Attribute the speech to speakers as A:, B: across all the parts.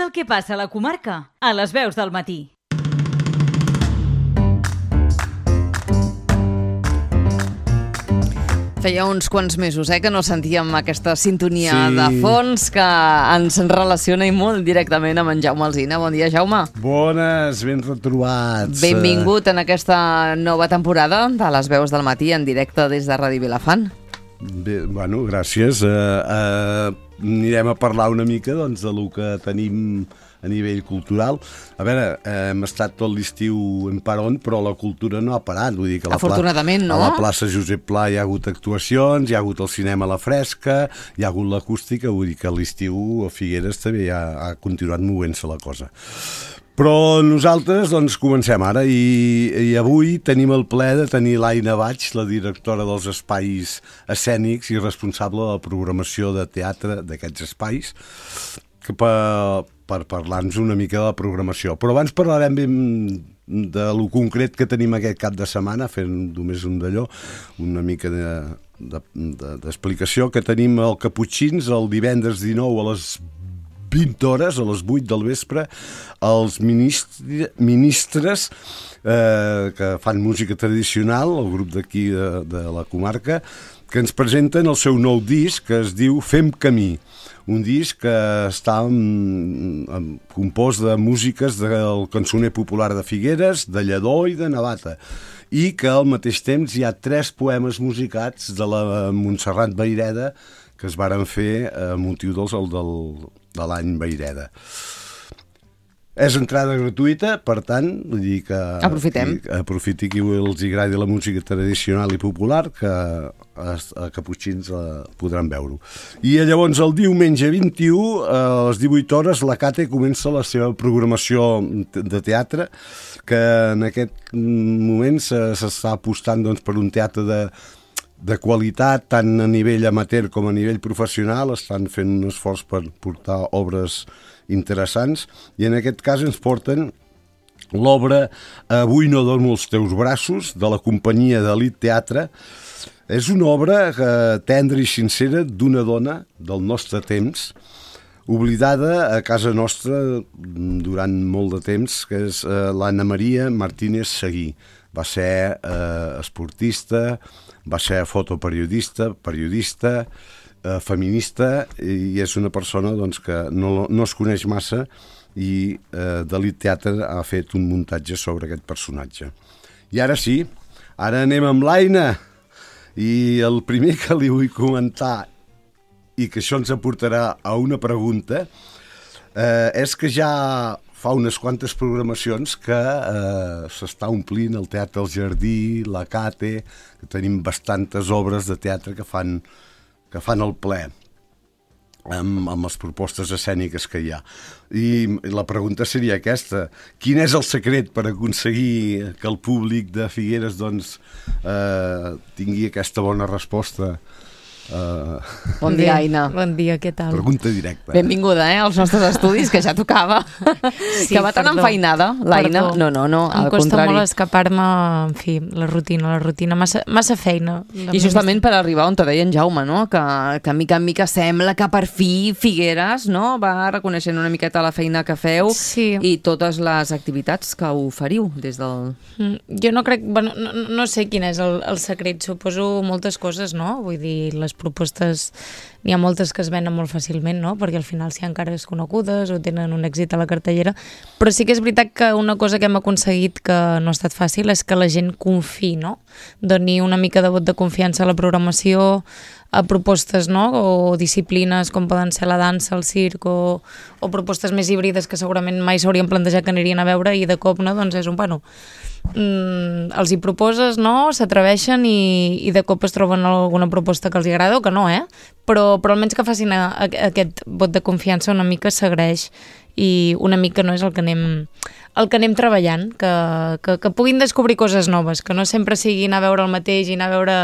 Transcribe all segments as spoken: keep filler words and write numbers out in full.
A: El que passa a la comarca, a les veus del matí.
B: Feia uns quants mesos eh, que no sentíem aquesta sintonia
C: Sí.
B: de fons que ens relaciona i molt directament amb en Jaume Alsina. Bon dia, Jaume.
C: Bones, ben retrobats.
B: Benvingut en aquesta nova temporada de les veus del matí en directe des de Ràdio Vilafant.
C: Bé, bueno, gràcies. Uh, uh, anirem a parlar una mica doncs, de lo que tenim a nivell cultural. A veure, eh, hem estat tot l'estiu en paron, però la cultura no ha parat. Vull dir que a la
B: Afortunadament, no?
C: A la plaça Josep Pla hi ha hagut actuacions, hi ha hagut el cinema a la fresca, hi ha hagut l'acústica, vull dir que a l'estiu a Figueres també ha, ha continuat movent-se la cosa. Però nosaltres doncs, comencem ara i, i avui tenim el plaer de tenir l'Aina Baig, la directora dels espais escènics i responsable de la programació de teatre d'aquests espais, que per, per parlar-nos una mica de la programació. Però abans parlarem ben de lo concret que tenim aquest cap de setmana, fent només un d'allò, una mica de, de, de, d'explicació, que tenim el Caputxins el divendres dinou a les vint hores, a les vuit del vespre, els ministri, ministres eh, que fan música tradicional, el grup d'aquí de, de la comarca, que ens presenten el seu nou disc que es diu Fem Camí, un disc que està en, en, compost de músiques del cançoner popular de Figueres, de Lledó i de Navata, i que al mateix temps hi ha tres poemes musicats de la Montserrat Vayreda que es varen fer a motiu dels, el del, de l'any Vayreda. És entrada gratuïta, per tant, vull dir que...
B: Aprofitem.
C: Qui, aprofiti qui els agradi la música tradicional i popular, que a, a Caputxins la podran veure-ho. I llavors el diumenge vint-i-u, a les divuit hores, la Cate comença la seva programació de teatre, que en aquest moment s'està apostant doncs, per un teatre de de qualitat, tant a nivell amateur com a nivell professional. Estan fent un esforç per portar obres interessants i en aquest cas ens porten l'obra Avui no dormo als teus braços, de la companyia d'Elit Teatre. És una obra tendra i sincera d'una dona del nostre temps, oblidada a casa nostra durant molt de temps, que és l'Anna Maria Martínez Seguí. Va ser eh, esportista, va ser fotoperiodista, periodista, eh, feminista, i és una persona doncs, que no, no es coneix massa i eh, d'Elit Teatre ha fet un muntatge sobre aquest personatge. I ara sí, ara anem amb l'Aina, i el primer que li vull comentar, i que això ens aportarà a una pregunta, eh, és que ja fa unes quantes programacions que eh, s'està omplint el Teatre El Jardí, la Cate, que tenim bastantes obres de teatre que fan, que fan el ple amb, amb les propostes escèniques que hi ha. I la pregunta seria aquesta: quin és el secret per aconseguir que el públic de Figueres doncs, eh, tingui aquesta bona resposta? Uh...
B: Bon dia, Aina.
D: Bon dia, què tal?
C: Pregunta directa.
B: Benvinguda, eh, als nostres estudis, que ja tocava. Sí, que va tan
D: perdó.
B: enfeinada, l'Aina.
D: Perdó.
B: No, no, no, al
D: em costa
B: contrari.
D: molt escapar-me, en fi, la rutina, la rutina, massa, massa feina.
B: I justament per arribar on te deia en Jaume, no? que, que mica en mica sembla que per fi Figueres, no? va reconeixent una miqueta la feina que feu
D: Sí.
B: i totes les activitats que oferiu des del...
D: Mm, Jo no crec, bueno, no, no sé quin és el, el secret, suposo moltes coses, no? Vull dir, les propostes, n'hi ha moltes que es venen molt fàcilment, no? Perquè al final si hi ha cares conegudes o tenen un èxit a la cartellera, però sí que és veritat que una cosa que hem aconseguit que no ha estat fàcil és que la gent confiï, no? Doni una mica de vot de confiança a la programació, a propostes, no? O disciplines com poden ser la dansa, el circ, o, o propostes més híbrides que segurament mai s'haurien plantejat que anirien a veure, i de cop, no? Doncs és un, bueno, mm, els hi proposes, no? S'atreveixen i, i de cop es troben alguna proposta que els hi agrada o que no, eh? Però, però almenys que facin a, a, aquest vot de confiança una mica s'agraeix, i una mica no és el que anem el que anem treballant, que, que, que puguin descobrir coses noves, que no sempre sigui anar a veure el mateix i anar a veure...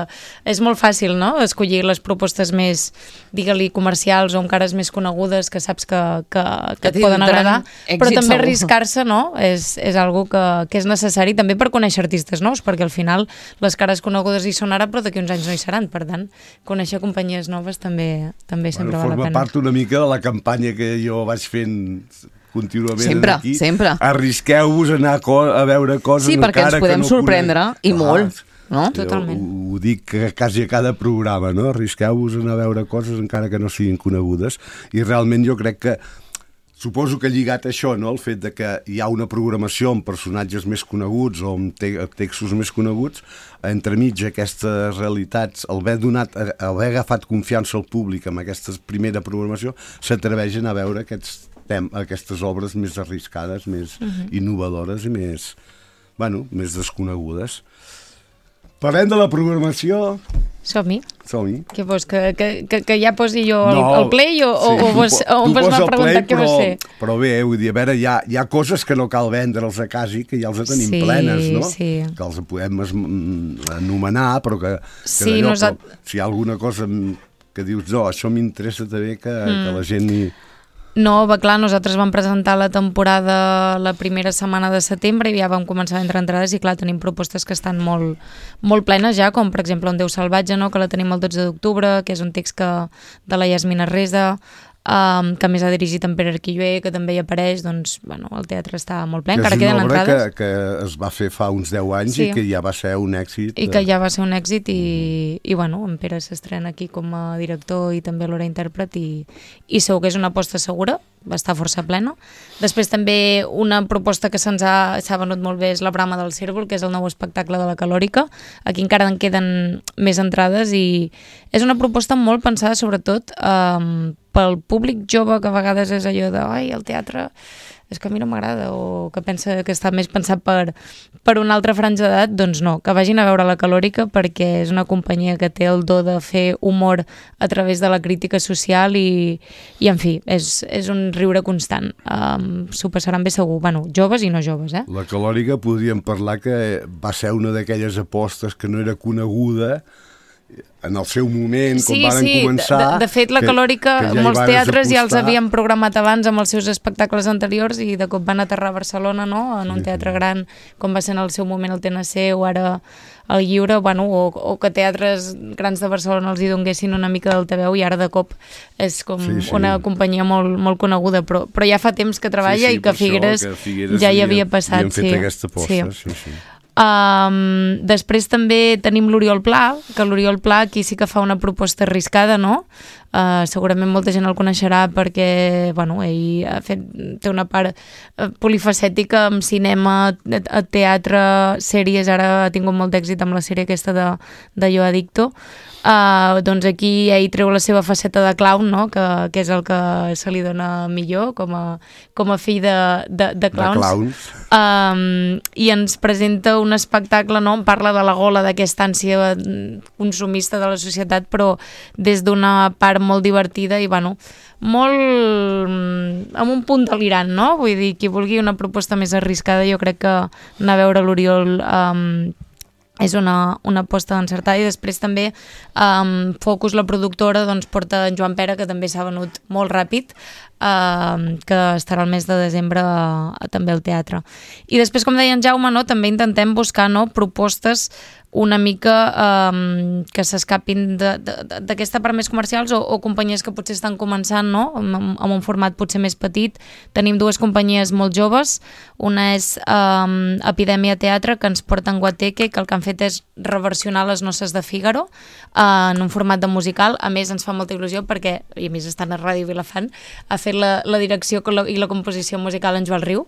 D: És molt fàcil, no?, escollir les propostes més, digue-li, comercials o amb cares més conegudes que saps que, que, que et poden agradar, però també arriscar-se, no?, és, és algo que, que és necessari també per conèixer artistes nous, perquè al final les cares conegudes hi són ara, però d'aquí uns anys no hi seran, per tant, conèixer companyies noves també, també sempre
C: bueno,
D: val la pena.
C: Forma part una mica de la campanya que jo vaig fent contínuament
B: sempre,
C: aquí.
B: Sempre,
C: Arrisqueu-vos a anar a, co a veure coses
B: sí, perquè ens podem
C: no
B: sorprendre, i
C: ah,
B: molt. No?
D: Totalment.
C: Ho, ho dic quasi a cada programa, no? Arrisqueu-vos a anar a veure coses encara que no siguin conegudes, i realment jo crec que suposo que lligat a això, no? El fet de que hi ha una programació amb personatges més coneguts o amb te textos més coneguts, entremig aquestes realitats, al haver, donat, al haver agafat confiança al públic amb aquesta primera programació, s'atreveixen a veure aquests tem aquestes obres més arriscades, més uh-huh. innovadores i més, bueno, més desconegudes. Parlem de la programació.
D: Som-hi.
C: Som-hi.
D: Què vols, que, que, que, que ja posi jo el,
C: no,
D: el play o,
C: sí,
D: o, vols, o em vols anar preguntant què va ser?
C: Però bé, vull dir, a veure, hi ha, hi ha coses que no cal vendre'ls a casa, que ja els tenim
D: sí,
C: plenes, no?
D: Sí.
C: Que els podem anomenar, però que, que
D: sí,
C: allò,
D: nosat...
C: però, si hi ha alguna cosa que dius, no, això m'interessa també que, mm. que la gent hi...
D: No, va clar, nosaltres vam presentar la temporada la primera setmana de setembre i ja vam començar a entrar entrades i clar, tenim propostes que estan molt, molt plenes ja, com per exemple Un Déu salvatge, no? Que la tenim el dotze d'octubre, que és un text que, de la Yasmina Reza, Um, que més ha dirigit en Pere Arquilloé, que també hi apareix, doncs, bueno, el teatre està molt ple, encara queden entrades.
C: És una obra que, que es va fer fa uns deu anys sí. i que ja va ser un èxit.
D: I que ja va ser un èxit i, i bueno, en Pere s'estrena aquí com a director i també alhora intèrpret i, i segur que és una aposta segura, va estar força plena. Després també una proposta que se'ns ha, s'ha venut molt bé és La brama del cérvol, que és el nou espectacle de la Calòrica. Aquí encara en queden més entrades i és una proposta molt pensada sobretot um, pel públic jove, que a vegades és allò de ai, el teatre és que a mi no m'agrada, o que pensa que està més pensat per, per una altra franja d'edat, doncs no, que vagin a veure La Calòrica perquè és una companyia que té el do de fer humor a través de la crítica social i, i en fi, és, és un riure constant. Um, S'ho passaran bé segur, bueno, joves i no joves, eh?
C: La Calòrica podríem parlar que va ser una d'aquelles apostes que no era coneguda en el seu moment,
D: sí,
C: com van
D: sí.
C: començar...
D: De, de fet, La
C: que,
D: Calòrica,
C: que ja
D: molts teatres
C: apostar.
D: ja els havien programat abans amb els seus espectacles anteriors i de cop van aterrar a Barcelona, no?, en un teatre gran, com va ser en el seu moment el T N C o ara el Lliure, bueno, o, o que teatres grans de Barcelona els hi donguessin una mica del T V U i ara de cop és com sí, sí. una companyia molt, molt coneguda, però, però ja fa temps que treballa sí, sí, i que Figueres, això, que Figueres ja hi havia passat.
C: Havien fet
D: sí.
C: aquesta aposta, sí, sí. sí.
D: Um, després també tenim l'Oriol Pla, que l'Oriol Pla aquí sí que fa una proposta arriscada, no? Uh, segurament molta gent el coneixerà perquè, bueno, ell ha fet, té una part uh, polifacètica amb cinema, teatre, sèries, ara ha tingut molt d'èxit amb la sèrie aquesta de, de Jo Adicto. Uh, doncs aquí ell treu la seva faceta de clown, no? que, que és el que se li dona millor com a, com a fill de, de, de clowns,
C: de clowns.
D: Um, i ens presenta un espectacle, no? En parla de la gola d'aquesta ànsia consumista de la societat, però des d'una part molt divertida i bueno, molt amb un punt delirant, no? Vull dir, qui vulgui una proposta més arriscada, jo crec que anar a veure l'Oriol um, és una, una aposta encertada. I després també um, Focus, la productora, doncs porta en Joan Pera, que també s'ha venut molt ràpid, um, que estarà el mes de desembre a, a, també al teatre. I després, com deia en Jaume, no, també intentem buscar, no, propostes una mica um, que s'escapin d'aquesta part més comercials o, o companyies que potser estan començant, no? amb, amb un format potser més petit. Tenim dues companyies molt joves, una és um, Epidèmia Teatre, que ens porta en Guateque, que el que han fet és reversionar Les noces de Fígaro uh, en un format de musical. A més, ens fa molta il·lusió perquè, i a més estan a Ràdio Vilafant, ha fet la, la direcció i la composició musical en Joel Riu.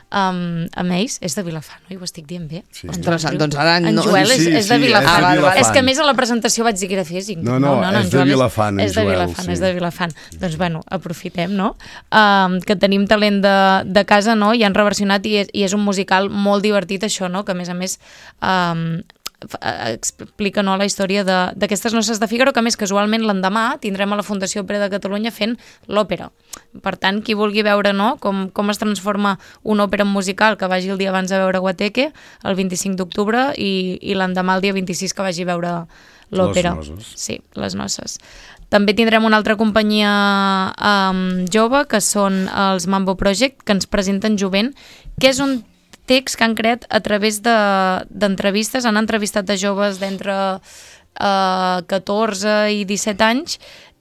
D: Um, amb ells, és de Vilafant, no? I ho estic dient bé.
B: Sí. Interessant, doncs ara no...
D: En Joel és,
C: sí,
D: és de
C: sí,
D: Vilafant.
C: és de Vilafant.
D: És que a més a la presentació vaig dir que era físic.
C: No, no, no, no és, de Vilafant,
D: és de Vilafant, és de Vilafant. Doncs bueno, aprofitem, no? Um, que tenim talent de, de casa, no? I han reversionat i és, i és un musical molt divertit, això, no? Que a més a més... Um, explica, no, la història d'aquestes noces de Fígaro, que més casualment l'endemà tindrem a la Fundació Òpera de Catalunya fent l'òpera. Per tant, qui vulgui veure, no, com, com es transforma una òpera en musical, que vagi el dia abans a veure Guateque, el vint-i-cinc d'octubre, i, i l'endemà el dia vint-i-sis que vagi a veure l'òpera.
C: Les noces.
D: Sí, les noces. També tindrem una altra companyia um, jove, que són els Mambo Project, que ens presenten Jovent, que és un text que han creat a través d'entrevistes, de, han entrevistat a joves d'entre uh, catorze i disset anys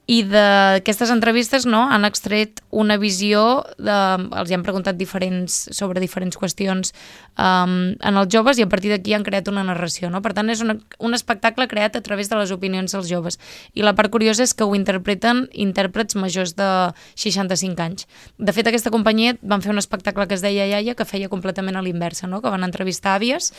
D: I d'aquestes entrevistes, no, han extret una visió, de, els hi han preguntat diferents, sobre diferents qüestions um, en els joves, i a partir d'aquí han creat una narració, no? Per tant, és una, un espectacle creat a través de les opinions dels joves. I la part curiosa és que ho interpreten intèrprets majors de seixanta-cinc anys. De fet, aquesta companyia van fer un espectacle que es deia Iaia, que feia completament a l'inversa, no? Que van entrevistar àvies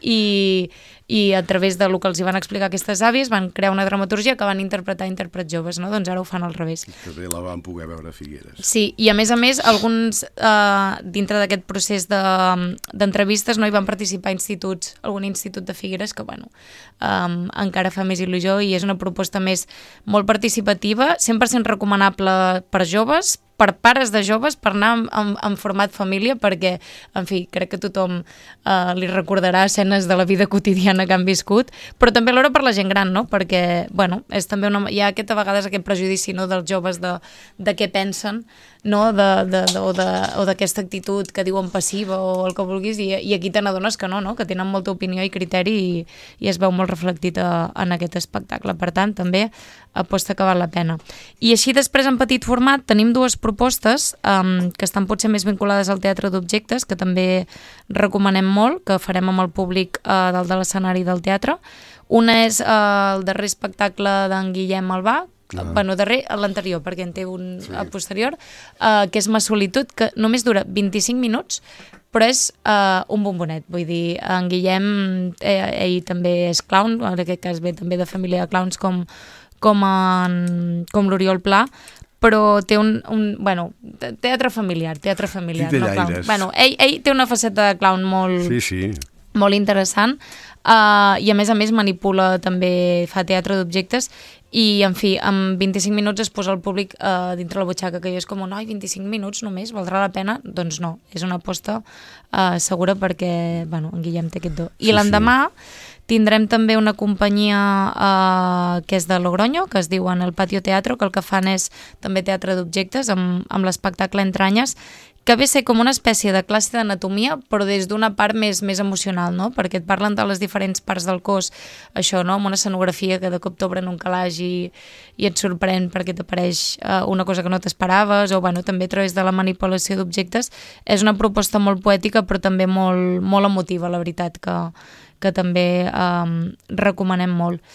D: i, i a través del que els hi van explicar aquestes àvies van crear una dramaturgia que van interpretar intèrprets joves, no? Doncs ara ho fan al revés.
C: Que bé la van poder veure a Figueres.
D: Sí, i a més a més, alguns, eh, dintre d'aquest procés d'entrevistes, de, no hi van participar instituts, algun institut de Figueres, que bueno, um, encara fa més il·lusió, i és una proposta més molt participativa, cent per cent recomanable per joves, per pares de joves, per anar en, en, en format família, perquè, en fi, crec que tothom eh, li recordarà escenes de la vida quotidiana que han viscut, però també alhora per la gent gran, no? Perquè, bueno, és també una, hi ha aquest, a vegades aquest prejudici, no?, dels joves de, de què pensen, no?, de, de, de, o d'aquesta actitud que diuen passiva o el que vulguis, i, i aquí te n'adones que no, no?, que tenen molta opinió i criteri, i, i es veu molt reflectit a, en aquest espectacle. Per tant, també aposta que val la pena. I així després, en petit format, tenim dues propostes um, que estan potser més vinculades al teatre d'objectes, que també recomanem molt, que farem amb el públic uh, dalt de l'escenari del teatre. Una és uh, el darrer espectacle d'en Guillem Albà, ah. bueno, darrer, l'anterior, perquè en té un sí. posterior, uh, que és Ma solitud, que només dura vint-i-cinc minuts, però és uh, un bombonet. Vull dir, en Guillem, eh, ell també és clown, en aquest cas ve també de família de clowns com, com, en, com l'Oriol Pla, però té un, un bueno, teatre familiar, teatre familiar,
C: sí,
D: no clown. Bueno, ell, ell té una faceta de clown molt,
C: sí, sí.
D: molt interessant, uh, i a més a més manipula, també fa teatre d'objectes, i en fi, en vint-i-cinc minuts es posa el públic uh, dintre la butxaca, que jo és com, no, vint-i-cinc minuts només, valdrà la pena? Doncs no, és una aposta uh, segura, perquè, bueno, en Guillem té aquest do. I sí, l'endemà sí. tindrem també una companyia uh, que és de Logroño, que es diu En el Patio Teatro, que el que fan és també teatre d'objectes amb, amb l'espectacle Entranyes, que ve a ser com una espècie de classe d'anatomia, però des d'una part més, més emocional, no? Perquè et parlen de les diferents parts del cos, això, no?, amb una escenografia que de cop t'obren un calaix i, i et sorprèn perquè t'apareix uh, una cosa que no t'esperaves, o bueno, també a través de la manipulació d'objectes. És una proposta molt poètica, però també molt, molt emotiva, la veritat, que, que també um, recomanem molt.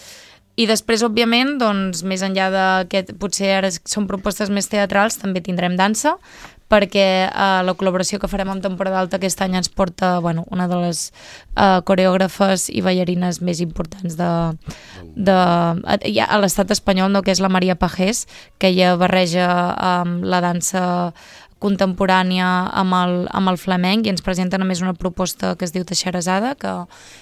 D: I després, òbviament, doncs, més enllà d'aquest, potser ara són propostes més teatrals, també tindrem dansa, perquè eh, la col·laboració que farem amb Temporada Alta aquest any ens porta, bueno, una de les eh, coreògrafes i ballarines més importants de, de, ja, a l'estat espanyol, no?, que és la Maria Pajés, que ella barreja eh, la dansa contemporània amb el, amb el flamenc, i ens presenten a més una proposta que es diu Teixeresada, que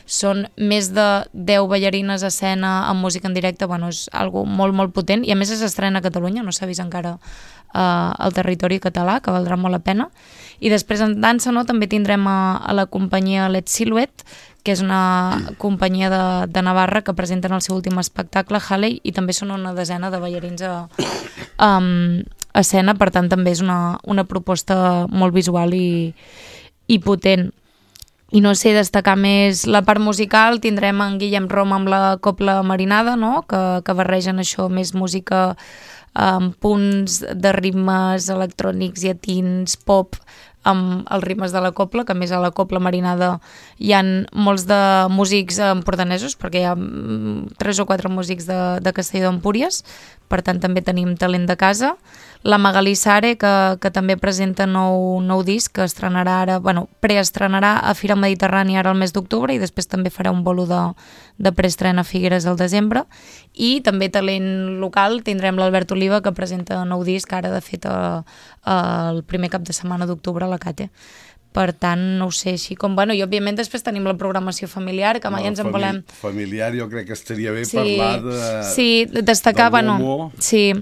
D: són més de deu ballarines a escena amb música en directe. Bueno, és algo molt, molt potent, i a més s'estrena a Catalunya, no s'ha vist encara uh, al territori català, que valdrà molt la pena. I després en dansa, no?, també tindrem a, a la companyia Let Silhouette, que és una companyia de, de Navarra que presenten el seu últim espectacle, Halley, i també són una desena de ballarins a, um, a escena, per tant també és una, una proposta molt visual i, i potent. I no sé, destacar més la part musical, tindrem en Guillem Roma amb la Copla Marinada, no?, que, que barregen això, més música amb punts de ritmes electrònics, llatins, pop, amb els ritmes de la copla, que a més a la Copla Marinada hi ha molts de músics empordanesos, perquè hi ha tres o quatre músics de, de Castelló d'Empúries, per tant també tenim talent de casa. La Magalí Sare, que, que també presenta nou, nou disc, que estrenarà ara, bueno, preestrenarà a Fira Mediterrània ara al mes d'octubre, i després també farà un bolo de, de preestrena a Figueres al desembre. I també talent local, tindrem l'Albert Oliva, que presenta nou disc ara, de fet, a, a, el primer cap de setmana d'octubre a la Cate. Per tant, no ho sé, així com... Bueno, i òbviament després tenim la programació familiar, que mai no, ens en
C: famili
D: volem...
C: Familiar, jo crec que estaria bé
D: sí,
C: parlar de...
D: Sí, destacar, bueno... Sí,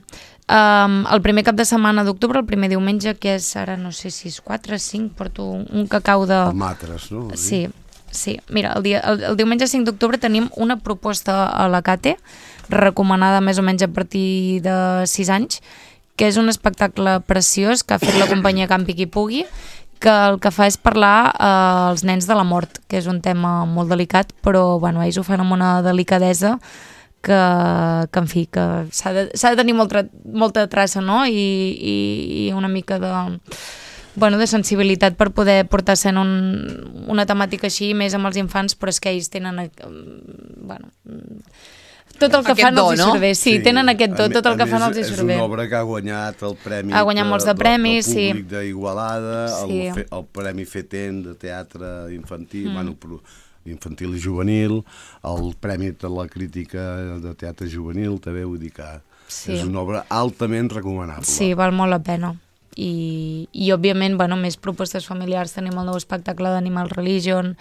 D: um, el primer cap de setmana d'octubre, el primer diumenge, que és, ara no sé si és quatre, cinc, porto un, un cacau de...
C: El Matres, no?
D: Sí, sí. Mira, el, dia, el, el diumenge cinc d'octubre tenim una proposta a la Cate, recomanada més o menys a partir de sis anys, que és un espectacle preciós que ha fet la companyia Campi Qui Pugui, que el que fa és parlar eh, als nens de la mort, que és un tema molt delicat, però bueno, ells ho fan amb una delicadesa que, que en fi, que s'ha de, s'ha de tenir molta, molta traça, no? I, i, i una mica de, bueno, de sensibilitat per poder portar a escena un, una temàtica així, més amb els infants, però és que ells tenen, bueno, tot el que
B: aquest
D: fan
B: do,
D: els hi
B: no?
D: surt bé. Sí, sí, tenen aquest do, tot el que fan els hi surt bé.
C: És una obra que ha guanyat el premi
D: ha guanyat molts de premis,
C: del públic sí. d'Igualada,
D: sí.
C: el, el Premi Feten de teatre infantil, mm. bueno, infantil i juvenil, el Premi de la Crítica de Teatre Juvenil, també vull dir que sí. és una obra altament recomanable.
D: Sí, val molt la pena. I, i òbviament, bueno, més propostes familiars. Tenim el nou espectacle d'Animal Religion,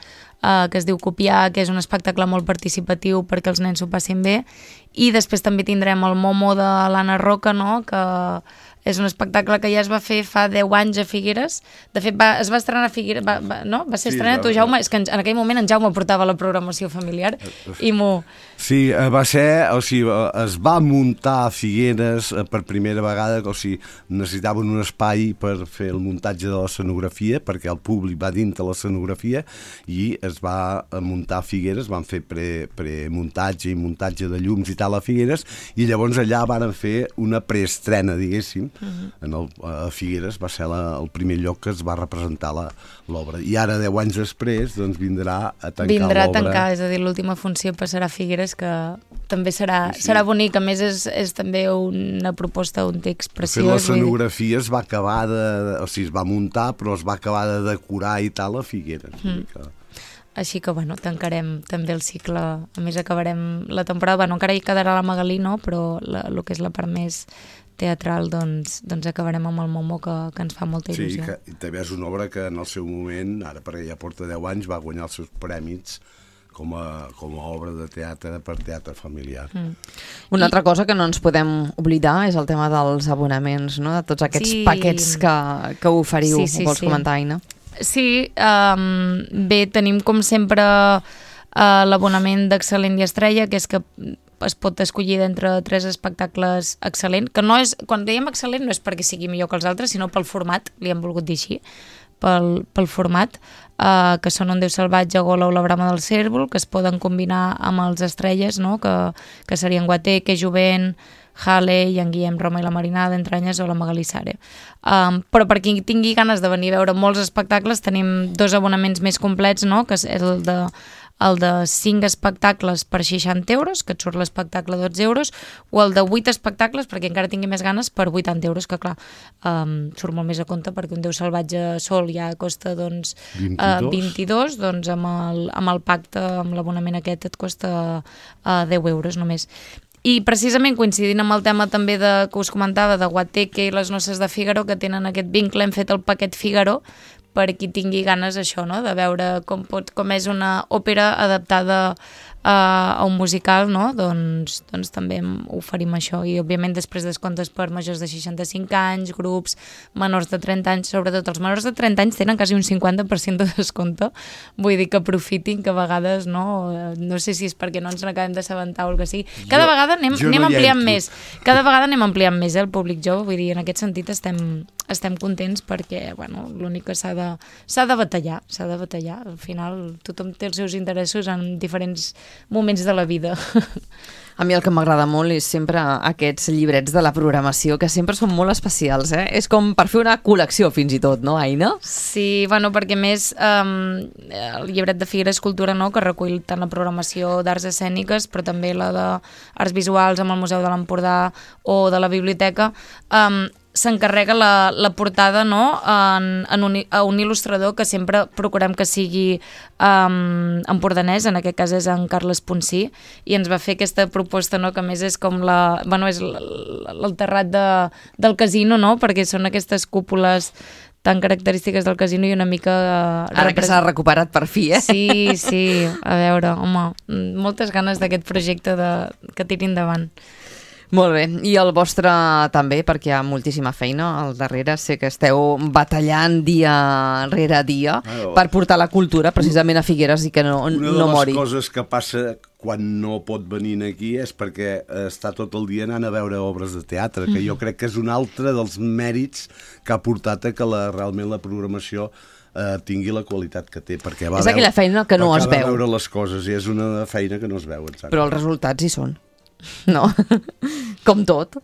D: eh, que es diu Copiar, que és un espectacle molt participatiu perquè els nens s'ho passin bé, i després també tindrem el Momo de l'Anna Roca, no?, que és un espectacle que ja es va fer fa deu anys a Figueres. De fet, va, es va estrenar a Figueres, va, va, no? Va ser sí, estrenat tu, Jaume. És que en, en aquell moment en Jaume portava la programació familiar i m'ho...
C: Sí, va ser, o sigui, es va muntar a Figueres per primera vegada, o sigui, necessitaven un espai per fer el muntatge de l'escenografia, perquè el públic va dintre l'escenografia, i es va muntar a Figueres, van fer pre, premuntatge i muntatge de llums i tal a Figueres, i llavors allà van fer una preestrena, diguéssim, Uh-huh. en el, a Figueres va ser la, el primer lloc que es va representar l'obra, i ara deu anys després doncs vindrà a tancar l'obra.
D: Vindrà a tancar, és a dir, l'última funció passarà a Figueres, que també serà, sí, sí. serà bonic. A més és, és també una proposta, un text preciós.
C: L'escenografia es va acabar de, o sigui, es va muntar, però es va acabar de decorar i tal a Figueres. Mm. Que...
D: Així que, bueno, tancarem també el cicle, a més acabarem la temporada, bueno, encara hi quedarà la Magalí, no?, però la, el que és la part més teatral, doncs, doncs acabarem amb el Momo, que, que ens fa molta il·lusió.
C: Sí, que també és una obra que en el seu moment, ara perquè ja porta deu anys, va guanyar els seus prèmits com a, com a obra de teatre per teatre familiar. Mm.
B: Una I... altra cosa que no ens podem oblidar és el tema dels abonaments, no?, de tots aquests sí. paquets que, que oferiu. Sí, sí, Vols sí. comentar, Aina?
D: Sí, um, bé, tenim com sempre uh, l'abonament d'Excel·lent i Estrella, que és que es pot escollir d'entre tres espectacles excel·lent, que no és, quan dèiem excel·lent no és perquè sigui millor que els altres, sinó pel format, li hem volgut dir així, pel, pel format, eh, que són Un Déu salvatge, Gola o La brama del cérvol, que es poden combinar amb els estrelles, no?, que, que serien Guateque, Jovent, Halley, en Guillem, Roma i la Marinada, Entranyes o la Magalí Sare. Um, però per qui tingui ganes de venir a veure molts espectacles, tenim dos abonaments més complets, no?, que és el de el de cinc espectacles per seixanta euros, que et surt l'espectacle dotze euros, o el de vuit espectacles, perquè encara tingui més ganes, per vuitanta euros, que clar, um, surt molt més a compte, perquè Un Déu salvatge sol ja costa doncs,
C: vint-i-dos.
D: Uh, vint-i-dos, doncs amb el, amb el pacte, amb l'abonament aquest, et costa uh, deu euros només. I precisament coincidint amb el tema també de, que us comentava, de Guateque i les noces de Fígaro, que tenen aquest vincle, hem fet el paquet Fígaro, per qui tingui ganes això, no?, de veure com, pot, com és una òpera adaptada a, a un musical, no?, doncs, doncs també oferim això. I òbviament després descomptes per majors de seixanta-cinc anys, grups, menors de trenta anys, sobretot els menors de trenta anys tenen quasi un cinquanta per cent de descompte, vull dir que aprofitin, que a vegades, no, no sé si és perquè no ens n'acabem d'assabentar o el que sigui. Cada jo, vegada anem, anem no ampliant més, cada vegada anem ampliant més, eh, el públic jove, vull dir, en aquest sentit estem, estem contents perquè, bueno, l'únic que s'ha de, s'ha de batallar, s'ha de batallar. Al final tothom té els seus interessos en diferents moments de la vida.
B: A mi el que m'agrada molt és sempre aquests llibrets de la programació, que sempre són molt especials, eh? És com per fer una col·lecció fins i tot, no, Aina?
D: Sí, bueno, perquè més um, el llibret de Figueres Cultura, no?, que recull tant la programació d'arts escèniques, però també la d'arts visuals amb el Museu de l'Empordà o de la biblioteca, um, s'encarrega la, la portada, no?, en, en un, a un il·lustrador que sempre procurem que sigui um, empordanès, en aquest cas és en Carles Ponsí, i ens va fer aquesta proposta, no?, que a més és com la, bueno, és el terrat de, del casino, no?, perquè són aquestes cúpules tan característiques del casino i una mica... Uh,
B: Ara que s'ha recuperat per fi, eh?
D: Sí, sí, a veure, home, moltes ganes d'aquest projecte de, que tiri endavant.
B: Molt bé, i el vostre també, perquè hi ha moltíssima feina al darrere, sé que esteu batallant dia rere dia ah, per portar la cultura precisament a Figueres i que no, no mori.
C: Una de les coses que passa quan no pot venir aquí és perquè està tot el dia anant a veure obres de teatre, que jo crec que és un altre dels mèrits que ha portat a que la, realment la programació eh, tingui la qualitat que té, perquè va
B: és aquella feina que no es veu.
C: veure les coses i és una feina que no es veu, exacte.
B: Però els resultats hi són. no? Com tot.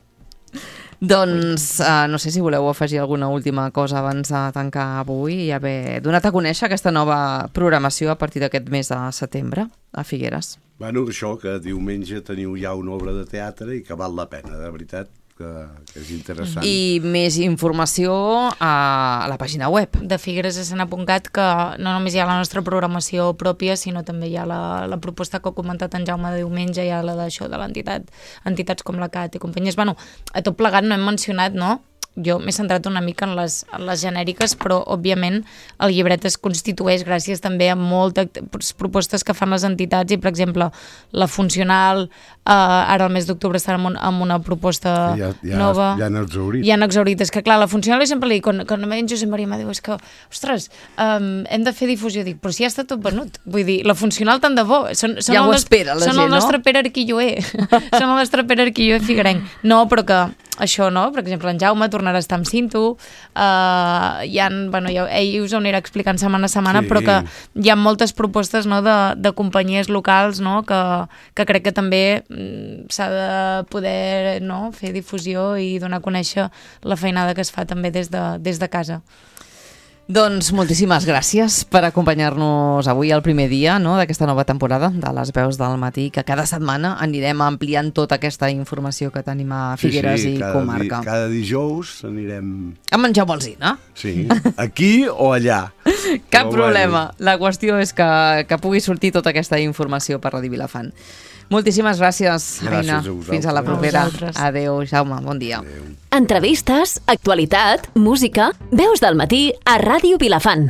B: Doncs uh, no sé si voleu afegir alguna última cosa abans de tancar avui i haver donat a conèixer aquesta nova programació a partir d'aquest mes de setembre a Figueres.
C: Bueno, això, que diumenge teniu ja una obra de teatre i que val la pena, de veritat, que, que és interessant.
B: I més informació a la pàgina web.
D: De Figueres a Sant Apuncat, que no només hi ha la nostra programació pròpia, sinó també hi ha la, la proposta que ha comentat en Jaume de diumenge, hi ha la d'això de l'entitat, entitats com la C A T i companyies. Bueno, a tot plegat no hem mencionat, no?, jo m'he centrat una mica en les, en les genèriques, però òbviament el llibret es constitueix gràcies també a moltes propostes que fan les entitats i, per exemple, la Funcional, eh, ara al mes d'octubre estan en, un, en una proposta
C: ja, ja,
D: nova.
C: Ja han exhaurit.
D: Ja han exhaurit. És que, clar, la Funcional, jo sempre li dic, quan, quan em ve en Josep Maria m'ha dit, és que, ostres, um, hem de fer difusió. Dic, però si ja està tot venut. Vull dir, la Funcional tant de bo. Són, són
B: ja
D: el
B: ho espera la
D: són
B: gent,
D: el nostre
B: no?
D: Pere Arquilloé. Són el nostre Pere Arquilloé figuerenc. No, però que això, no? Per exemple, en Jaume tornarà a estar amb Cinto, uh, hi ha, bueno, ja, ell us ho anirà explicant setmana a setmana, sí. Però que hi ha moltes propostes, no?, de, de companyies locals, no?, que, que crec que també mm, s'ha de poder, no?, fer difusió i donar a conèixer la feinada que es fa també des de, des de casa.
B: Doncs moltíssimes gràcies per acompanyar-nos avui al primer dia, no?, d'aquesta nova temporada de Les Veus del Matí, que cada setmana anirem ampliant tota aquesta informació que tenim a Figueres
C: sí, sí,
B: i
C: cada
B: comarca.
C: Di, cada dijous anirem...
B: A menjar bolsina.
C: Sí, aquí o allà.
B: Cap
C: Però
B: problema.
C: Bueno.
B: La qüestió és que, que pugui sortir tota aquesta informació per Ràdio Vilafant. Moltíssimes gràcies, Aina.
C: Gràcies a vosaltres.
B: Fins a la propera.
D: A
B: Adéu, Jaume. Bon dia.
C: Adéu.
E: Entrevistes, actualitat, música, Veus del Matí a Ràdio Vilafant.